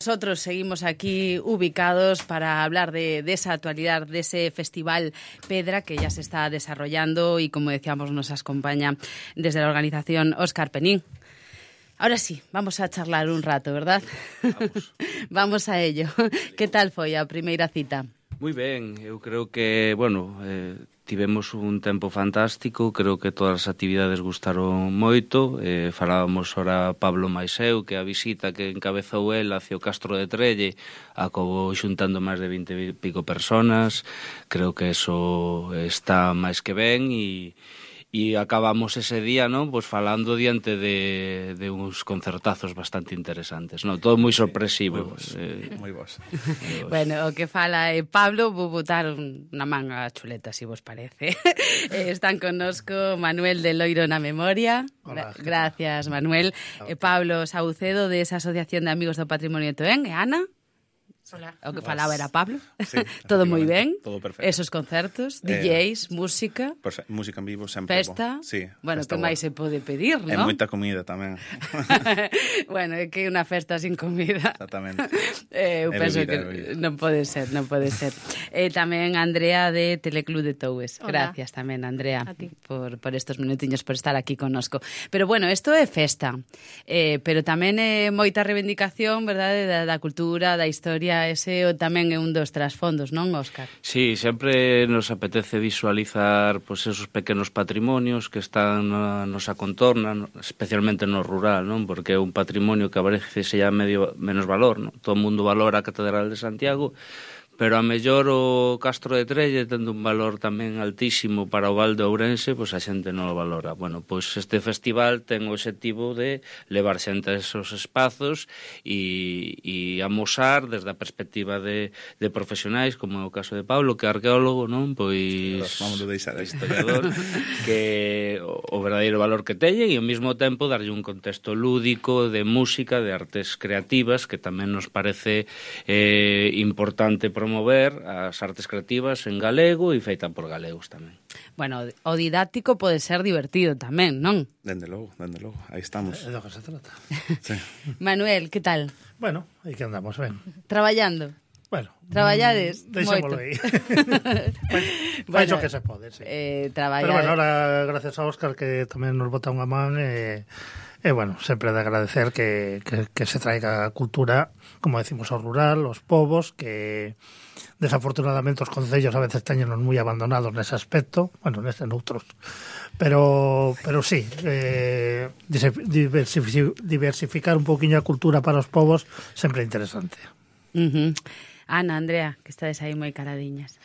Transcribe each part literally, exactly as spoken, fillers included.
nosotros seguimos aquí ubicados para hablar de, de esa actualidad, de ese festival Pedra que ya se está desarrollando y, como decíamos, nos acompaña desde la organización Óscar Penín. Ahora sí, vamos a charlar un rato, verdad? Vamos. Vamos a ello. Que tal foi a primeira cita? Moi ben, eu creo que, bueno, eh, tivemos un tempo fantástico, creo que todas as actividades gustaron moito, eh, falábamos ora Pablo Maiseu, que a visita que encabezou el hacia o Castro de Trelle acabou xuntando máis de vinte e pico personas, creo que eso está máis que ben e... E acabamos ese día, ¿no? Pues falando diante de, de uns concertazos bastante interesantes, ¿no? Todo moi sorpresivo. Moi vos, eh, moi vos. Bueno, o que fala é Pablo, vou botar unha manga chuleta, se si vos parece. eh, están connosco Manuel de Loiro na memoria. Hola, Gra gracias, Manuel. E eh, Pablo Saucedo, de esa Asociación de Amigos do Patrimonio de Toén. E Ana? Hola. O que falaba era Pablo. Sí, todo moi ben. Todo perfecto. Esos concertos, eh, D Js, música. Perfecto. Música en vivo sempre. Festa. Bo. Sí, bueno, festa que máis se pode pedir, E non? moita comida tamén. Bueno, é que unha festa sin comida. Exactamente. eh, eu E penso bebida, que bebida. non pode ser, non pode ser. Eh, tamén Andrea de Teleclub de Toures. Hola. Gracias tamén, Andrea, A ti. por, por estos minutiños, por estar aquí connosco. Pero bueno, isto é festa, eh, pero tamén é moita reivindicación, verdade, da, da cultura, da historia, ese tamén é un dos trasfondos, non, Óscar? Sí, sempre nos apetece visualizar pues, esos pequenos patrimonios que están na nosa contorna, no, especialmente no rural, non? Porque é un patrimonio que a veces se llama medio menos valor, non? Todo o mundo valora a Catedral de Santiago, pero a mellor o Castro de Trelle tendo un valor tamén altísimo para o Val de Ourense, pois a xente non o valora. Bueno, pois este festival ten o obxectivo de levar xente a esos espazos e, e amosar desde a perspectiva de, de profesionais, como é o caso de Pablo, que é arqueólogo, non? Pois Vamos a deixar historiador, que o, o verdadeiro valor que teñen e ao mesmo tempo darlle un contexto lúdico de música, de artes creativas, que tamén nos parece eh, importante promover as artes creativas en galego e feita por galegos tamén. Bueno, o didáctico pode ser divertido tamén, non? Dende logo, dende logo. Aí estamos. É do que se trata. Sí. Manuel, que tal? Bueno, aí que andamos, ben. Traballando? Bueno, Traballades mm, deixémolo moito. aí. Fais o que se pode, sí. Eh, traballa... Pero bueno, ahora, gracias a Óscar, que tamén nos bota unha man, e, e bueno, sempre de agradecer que, que, que se traiga a cultura, como decimos, ao rural, os povos, que desafortunadamente os concellos a veces teñenos moi abandonados nese aspecto, bueno, neste noutros, pero pero sí, eh, diversificar un poquinho a cultura para os povos sempre é interesante. Uh -huh. Ana, Andrea, que estades aí moi caradiñas.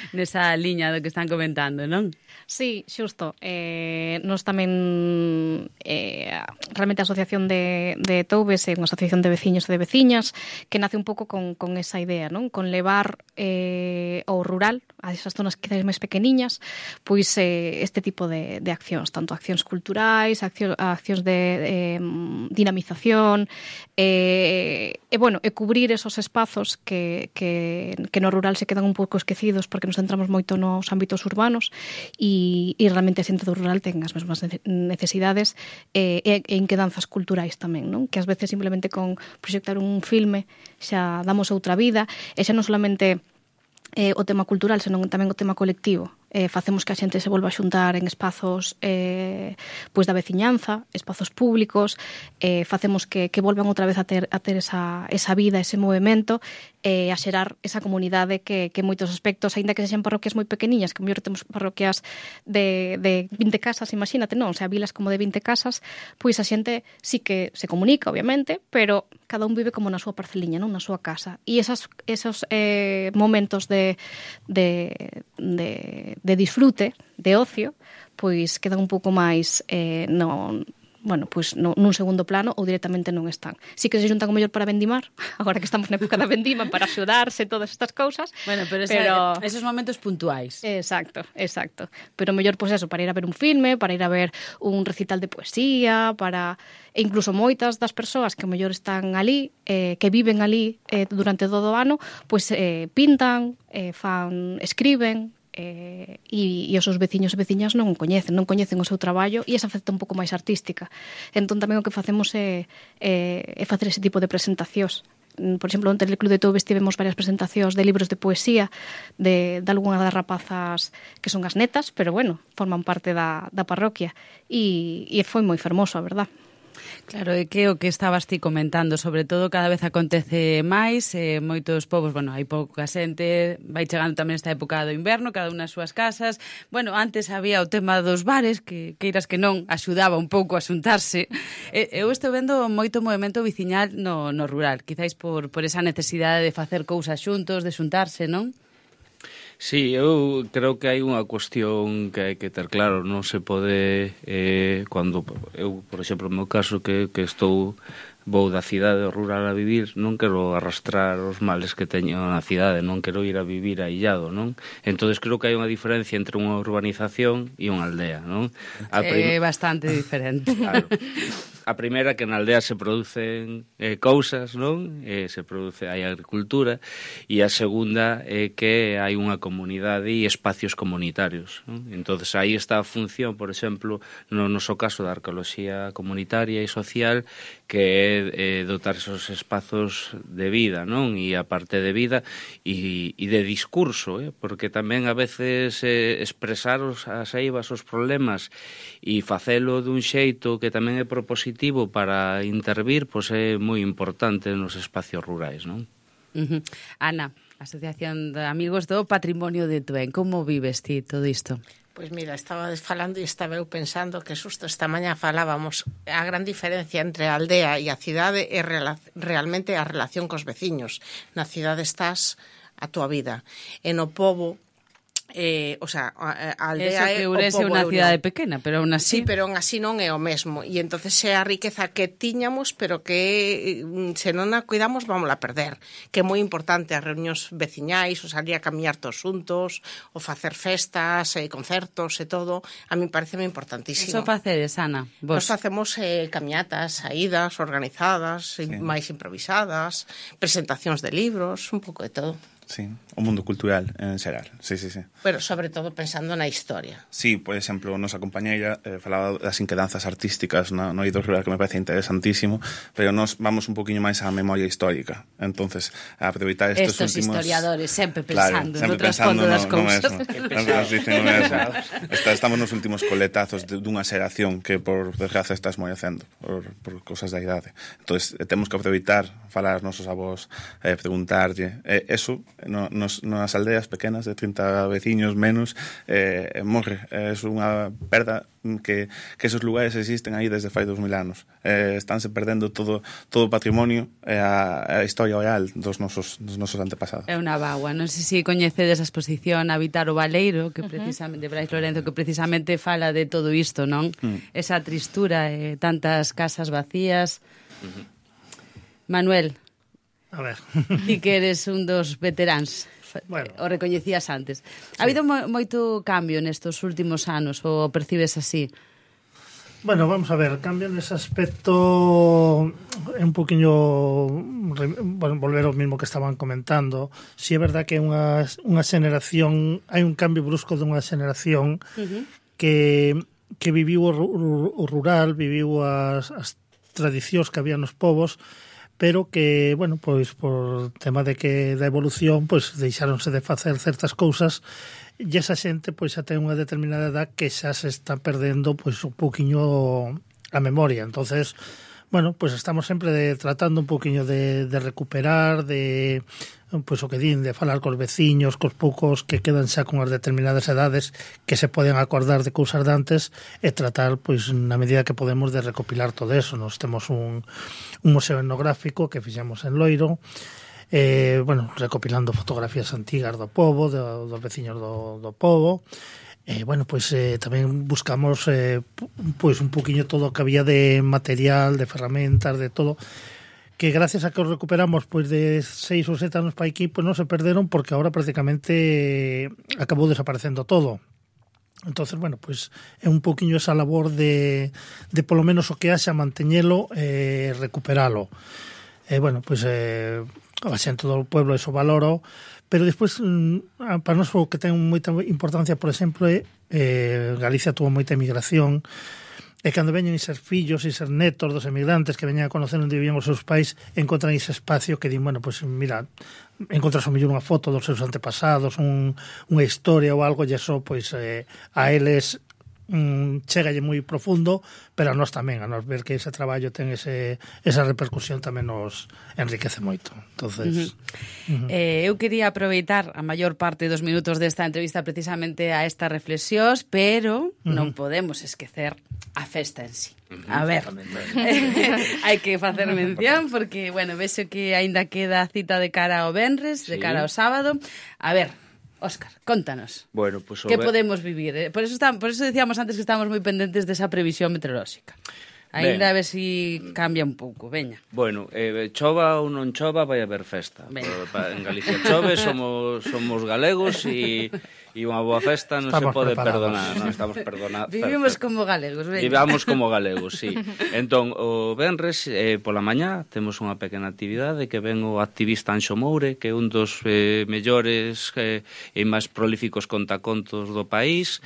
Nesa liña do que están comentando, non? Sí, xusto. Eh, nos tamén eh, realmente a Asociación de, de Toubes é unha asociación de veciños e de veciñas que nace un pouco con, con esa idea, non? Con levar eh, ao rural, a esas zonas quizás máis pequeniñas, pois eh, este tipo de, de accións, tanto accións culturais, accións, accións de eh, dinamización, eh, e bueno, e cubrir esos espazos que, que, que no rural se quedan un pouco esquecidos porque nos centramos moito nos ámbitos urbanos e, e realmente a xente do rural ten as mesmas necesidades e, e, e inquedanzas culturais tamén, non? Que ás veces simplemente con proxectar un filme xa damos outra vida e xa non solamente eh, o tema cultural, senón tamén o tema colectivo. Eh, facemos que a xente se volva a xuntar en espazos eh, pois da veciñanza, espazos públicos, eh, facemos que, que volvan outra vez a ter, a ter esa, esa vida, ese movimento, eh, a xerar esa comunidade que, que en moitos aspectos, aínda que sexan parroquias moi pequeniñas, que mellor temos parroquias de, de vinte casas, imagínate, non? O sea, vilas como de vinte casas, pois a xente sí que se comunica, obviamente, pero cada un vive como na súa parceliña, non? Na súa casa. E esas, esos eh, momentos de, de, de de disfrute, de ocio, pois quedan un pouco máis eh, no, bueno, pois no, nun segundo plano ou directamente non están. Si que se xuntan o mellor para vendimar, agora que estamos na época da vendima, para axudarse, todas estas cousas. Bueno, pero, esa, pero... esos momentos puntuais. Exacto, exacto. Pero mellor, pois eso, para ir a ver un filme, para ir a ver un recital de poesía, para... E incluso moitas das persoas que mellor están ali, eh, que viven ali eh, durante todo o ano, pois eh, pintan, eh, fan, escriben, eh, e, e os seus veciños e veciñas non o coñecen, non coñecen o seu traballo e esa faceta un pouco máis artística. Entón tamén o que facemos é, é, é facer ese tipo de presentacións. Por exemplo, no Teleclub de Toubes tivemos varias presentacións de libros de poesía de, de algunha das rapazas que son as netas, pero bueno, forman parte da, da parroquia e, e foi moi fermoso, a verdad. Claro, é que o que estabas ti comentando, sobre todo cada vez acontece máis, eh, moitos povos, bueno, hai pouca xente, vai chegando tamén esta época do inverno, cada unha nas súas casas. Bueno, antes había o tema dos bares, que queiras que non, axudaba un pouco a xuntarse. E, eu estou vendo moito movimento viciñal no, no rural, quizáis por, por esa necesidade de facer cousas xuntos, de xuntarse, non? Sí, eu creo que hai unha cuestión que hai que ter claro, non se pode, eh, cando eu, por exemplo, no meu caso, que, que estou vou da cidade rural a vivir, non quero arrastrar os males que teño na cidade, non quero ir a vivir aillado, non? Entonces creo que hai unha diferencia entre unha urbanización e unha aldea, non? A prim... É bastante diferente. Claro. A primeira, que na aldea se producen eh, cousas, non? Eh, se produce, hai agricultura, e a segunda é eh, que hai unha comunidade e espacios comunitarios, non? Entonces aí está a función, por exemplo, no noso caso da arqueoloxía comunitaria e social, que é eh, dotar esos espazos de vida, non? E a parte de vida e, e de discurso, eh? Porque tamén a veces eh, expresar os, as eivas, os problemas e facelo dun xeito que tamén é propositivo para intervir, pois é moi importante nos espacios rurais, non? Uh-huh. Ana, Asociación de Amigos do Patrimonio de Tuén, como vives ti todo isto? Pois mira, estaba falando e estaba eu pensando que xusto esta mañá falábamos a gran diferencia entre a aldea e a cidade é realmente a relación cos veciños. Na cidade estás a tua vida, e no pobo Eh, o sea, a, a aldea é o pobo. Eso que Ourense é unha cidade pequena, pero aún así... Sí, pero aún así non é o mesmo. E entonces é a riqueza que tiñamos, pero que se non a cuidamos vamos a perder. Que é moi importante as reunións veciñais, o salir a camiñar todos xuntos, o facer festas, e concertos e todo. A mí pareceme importantísimo. Iso facedes, Ana? Vos? Nos facemos eh, camiñatas, saídas organizadas, sí. máis improvisadas, presentacións de libros, un pouco de todo. Sí, o mundo cultural en xeral, sí, sí, sí. Pero sobre todo pensando na historia. Sí, por exemplo, nosa compañeira eh, falaba das inquedanzas artísticas no, no eido rural, que me parece interesantísimo, pero nos vamos un poquinho máis á memoria histórica. Entonces, a aproveitar estes Estos últimos... historiadores sempre pensando claro, no trasfondo das cousas. Está, estamos nos últimos coletazos de, dunha xeración que, por desgracia, estás moi hacendo por, por cosas da idade. Entonces, eh, temos que aproveitar, falar aos nosos avós, eh, preguntarlle. Eh, eso, no, nos, nas aldeas pequenas de trinta veciños menos, eh, morre. É eh, unha perda que, que esos lugares existen aí desde fai dos mil anos. Eh, estánse perdendo todo todo o patrimonio e a, a historia oral dos nosos, dos nosos antepasados. É unha bagua. Non sei se coñecedes a exposición Habitar o Baleiro, que precisamente, uh -huh. Brais Lorenzo, que precisamente fala de todo isto, non? Uh -huh. Esa tristura, eh, tantas casas vacías. Uh -huh. Manuel, a ver. Ti que eres un dos veteráns, bueno, o recoñecías antes. Sí. Ha habido mo moito cambio nestos últimos anos, ou percibes así? Bueno, vamos a ver, cambio nese aspecto é un poquinho, bueno, volver ao mismo que estaban comentando. Si é verdad que é unha, unha xeneración, hai un cambio brusco dunha xeneración uh -huh. que, que viviu o, o rural, viviu as, as tradicións que había nos povos, pero que, bueno, pois por tema de que da evolución, pois deixáronse de facer certas cousas e esa xente pois xa ten unha determinada edad que xa se está perdendo pois un poquinho a memoria. Entonces, bueno, pois estamos sempre de, tratando un poquinho de, de recuperar, de pois o que din, de falar cos veciños, cos poucos que quedan xa con as determinadas edades que se poden acordar de cousas de antes e tratar, pois, na medida que podemos de recopilar todo eso. Nos temos un, un museo etnográfico que fixemos en Loiro, eh, bueno, recopilando fotografías antigas do pobo, do, dos veciños do, do pobo. Eh, bueno, pois eh, tamén buscamos eh, pois un poquinho todo o que había de material, de ferramentas, de todo, que gracias a que os recuperamos pois de seis ou sete anos para aquí, pois non se perderon, porque ahora prácticamente acabou desaparecendo todo. Entonces, bueno, pois é un poquinho esa labor de, de polo menos o que haxa manteñelo e eh, recuperalo. E, bueno, pois, eh, a xente do pueblo eso valoro, pero despois, para nós o que ten moita importancia, por exemplo, é eh, Galicia tuvo moita emigración, e cando veñen eses fillos e eses netos dos emigrantes que veñen a conocer onde vivían os seus pais, encontran ese espacio que din, bueno, pois mira, encontras o mellor unha foto dos seus antepasados, un, unha historia ou algo, e iso, pois, eh, a eles mm, chegalle moi profundo, pero a nós tamén, a nós ver que ese traballo ten ese, esa repercusión tamén nos enriquece moito. Entonces, uh -huh. Uh -huh. Eh, eu quería aproveitar a maior parte dos minutos desta entrevista precisamente a estas reflexións, pero uh -huh. non podemos esquecer a festa en sí. Uh -huh. A ver, hai que facer mención porque, bueno, vexo que aínda queda cita de cara ao venres, sí. de cara ao sábado. A ver, Óscar, contanos. Bueno, pues, que podemos vivir? Eh? Por eso está, por eso decíamos antes que estamos moi pendentes desa previsión meteorolóxica. Ainda a ver se si cambia un pouco, veña. Bueno, eh, chova ou non chova, vai haber festa. En Galicia chove, somos somos galegos e e unha boa festa non estamos se pode preparados. perdonar, non estamos perdonados. Vivimos como galegos, veña. Vivamos como galegos, sí. Entón, o venres, eh, pola mañá, temos unha pequena actividade que ven o activista Anxo Moure, que é un dos eh, mellores eh, e máis prolíficos contacontos do país.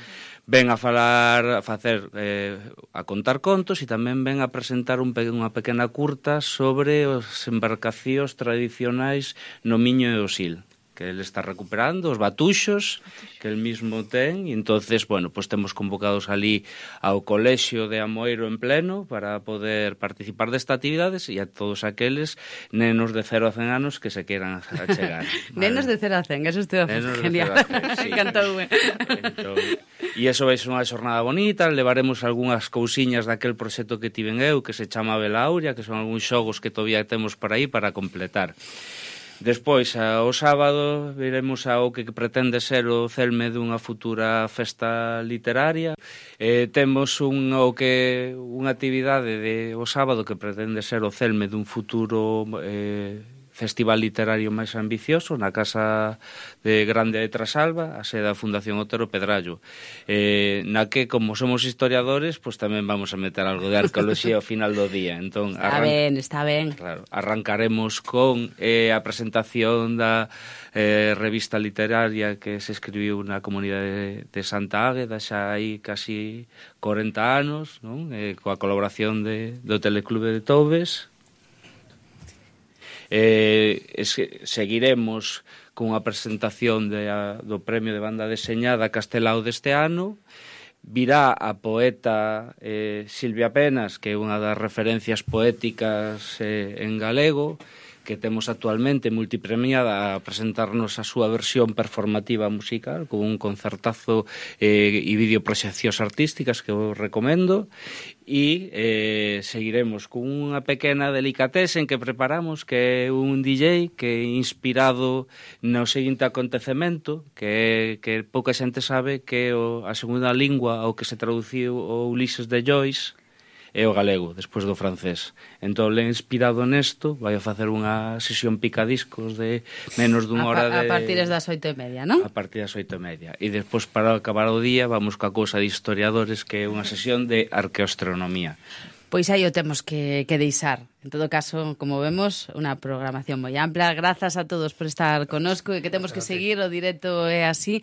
Ven a falar, a facer, eh, a contar contos e tamén ven a presentar un pe unha pequena curta sobre os embarcacións tradicionais no Miño e o Sil, que ele está recuperando, os batuxos que el mismo ten, e entonces, bueno, pues temos convocados ali ao Colexio de Amoeiro en pleno para poder participar desta actividades e a todos aqueles nenos de cero a cen anos que se queran achegar. Nenos de cero a cen, eso estou genial. Sí. Encantoume. Entón, e iso vai ser unha xornada bonita, levaremos algunhas cousiñas daquel proxecto que tiven eu, que se chama Belauria, que son algúns xogos que todavía temos por aí para completar. Despois, ao sábado, viremos ao que pretende ser o celme dunha futura festa literaria. Eh, temos un, o que, unha actividade de, o sábado que pretende ser o celme dun futuro eh, festival literario máis ambicioso na Casa de Grande de Trasalba, a sede da Fundación Otero Pedrallo, eh, na que, como somos historiadores, pues tamén vamos a meter algo de arqueoloxía ao final do día. Entón, está ben, está ben. Claro, arrancaremos con eh, a presentación da eh, revista literaria que se escribiu na comunidade de, de Santa Águeda xa hai casi corenta anos, non? Eh, coa colaboración de, do Teleclube de Toubes. Eh, es, seguiremos cunha presentación de, a, do Premio de Banda Deseñada Castelao deste ano. Virá a poeta eh, Silvia Penas, que é unha das referencias poéticas eh, en galego, que temos actualmente multipremiada a presentarnos a súa versión performativa musical con un concertazo eh, e videoproxeccións artísticas que eu recomendo, e eh, seguiremos con unha pequena delicatesen que preparamos, que é un D J que é inspirado no seguinte acontecemento, que, que pouca xente sabe que o, a segunda lingua ao que se traduciu o Ulises de Joyce é o galego, despois do francés. Entón, le inspirado nesto, vai a facer unha sesión picadiscos de menos dunha hora de... A partir das oito e media, non? A partir das oito e media. E despois, para acabar o día, vamos coa cousa de historiadores, que é unha sesión de arqueoastronomía. Pois aí o temos que, que deixar. En todo caso, como vemos, unha programación moi ampla. Grazas a todos por estar conosco e que temos que seguir, o directo é así.